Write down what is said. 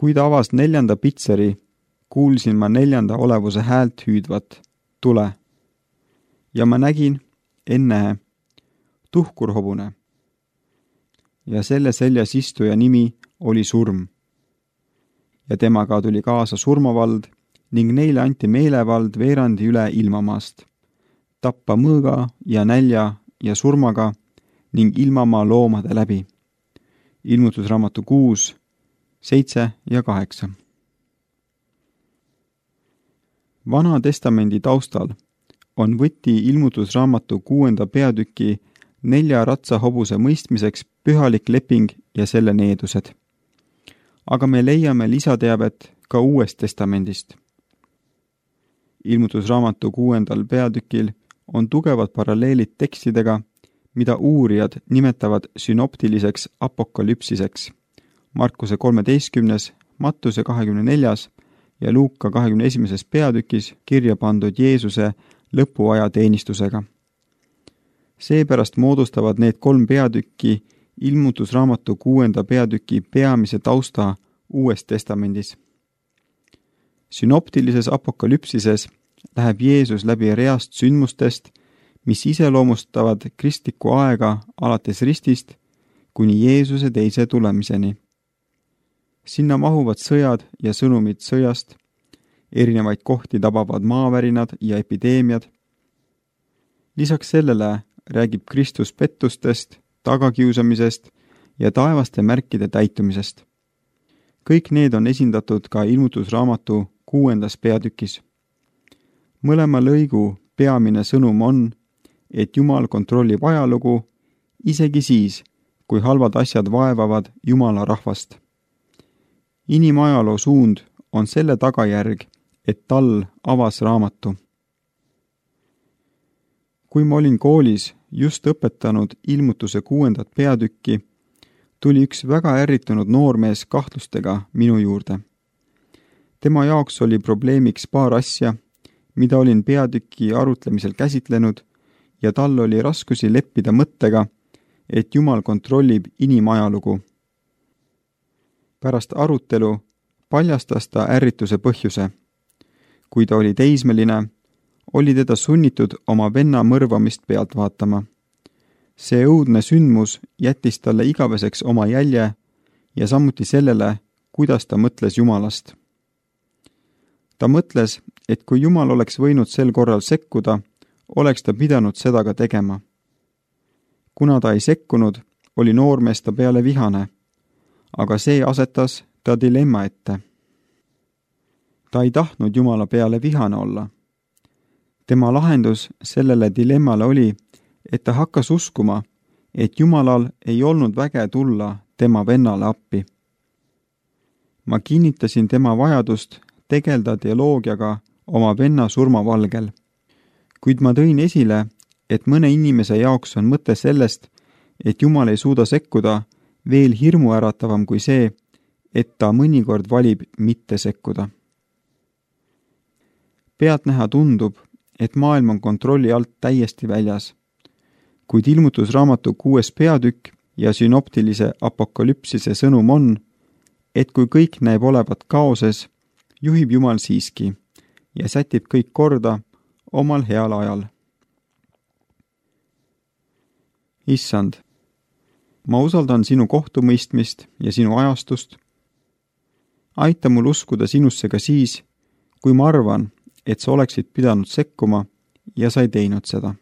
Kui ta avas 4. pitseri, kuulsin ma 4. olevuse häält hüüdvat, tule. Ja ma nägin, ennäe, tuhkurhobune. Ja selle seljas istuja nimi oli surm. Ja temaga tuli kaasa surmavald ning neile anti meelevald veerandi üle ilmamaast, tappa mõõga ja nälja ja surmaga ning ilmamaa loomade läbi. Ilmutusraamatu 6, 7 ja 8. Vana testamendi taustal on võti ilmutusraamatu 6. peatüki 4 ratsahobuse mõistmiseks pühalik leping ja selle needused. Aga me leiame lisateavet ka Uuest testamendist. Ilmutusraamatu 6. peatükil on tugevad paralleelid tekstidega, mida uurijad nimetavad sünoptiliseks apokalüpsiseks. Markuse 13., Mattuse 24. ja Luuka 21. peatükis kirja pandud Jeesuse lõpuaja teenistusega. Seepärast moodustavad need 3 peatükki ilmutusraamatu 6. peatüki peamise tausta Uues testamendis. Sünoptilises apokalüpsises läheb Jeesus läbi reast sündmustest, mis iseloomustavad kristlikku aega alates ristist kuni Jeesuse teise tulemiseni. Sinna mahuvad sõjad ja sõnumid sõjast, erinevaid kohti tabavad maavärinad ja epideemiad. Lisaks sellele räägib Kristus pettustest, tagakiusamisest ja taevaste märkide täitumisest. Kõik need on esindatud ka ilmutusraamatu 6. peatükis. Mõlema lõigu peamine sõnum on, et Jumal kontrollib ajalugu isegi siis, kui halvad asjad vaevavad Jumala rahvast. Inimajaloo suund on selle tagajärg, et tal avas raamatu. Kui ma olin koolis just õpetanud ilmutuse 6. peatükki, tuli üks väga ärritunud noormees kahtlustega minu juurde. Tema jaoks oli probleemiks paar asja, mida olin peatüki arutlemisel käsitlenud ja tal oli raskusi leppida mõttega, et Jumal kontrollib inimajalugu. Pärast arutelu paljastas ta ärrituse põhjuse. Kui ta oli teismeline, oli teda sunnitud oma venna mõrvamist pealt vaatama. See õudne sündmus jättis talle igaveseks oma jälje ja samuti sellele, kuidas ta mõtles Jumalast. Ta mõtles, et kui Jumal oleks võinud sel korral sekkuda, oleks ta pidanud seda ka tegema. Kuna ta ei sekkunud, oli noormees ta peale vihane, aga see asetas ta dilemma ette. Ta ei tahtnud Jumala peale vihane olla. Tema lahendus sellele dilemmale oli, et ta hakkas uskuma, et Jumalal ei olnud väge tulla tema vennale appi. Ma kinnitasin tema vajadust tegelda teoloogiaga oma venna surmavalgel, kuid ma tõin esile, et mõne inimese jaoks on mõte sellest, et Jumal ei suuda sekkuda, veel hirmuäratavam kui see, et ta mõnikord valib mitte sekkuda. Pealtnäha tundub, et maailm on kontrolli alt täiesti väljas, kuid ilmutusraamatu 6. peatükk ja sünoptilise apokalüpsise sõnum on, et kui kõik näeb olevat kaoses, juhib Jumal siiski ja sätib kõik korda omal heal ajal. Issand, ma usaldan sinu kohtumõistmist ja sinu ajastust. Aita mul uskuda sinusse ka siis, kui ma arvan, et sa oleksid pidanud sekkuma ja sa ei teinud seda.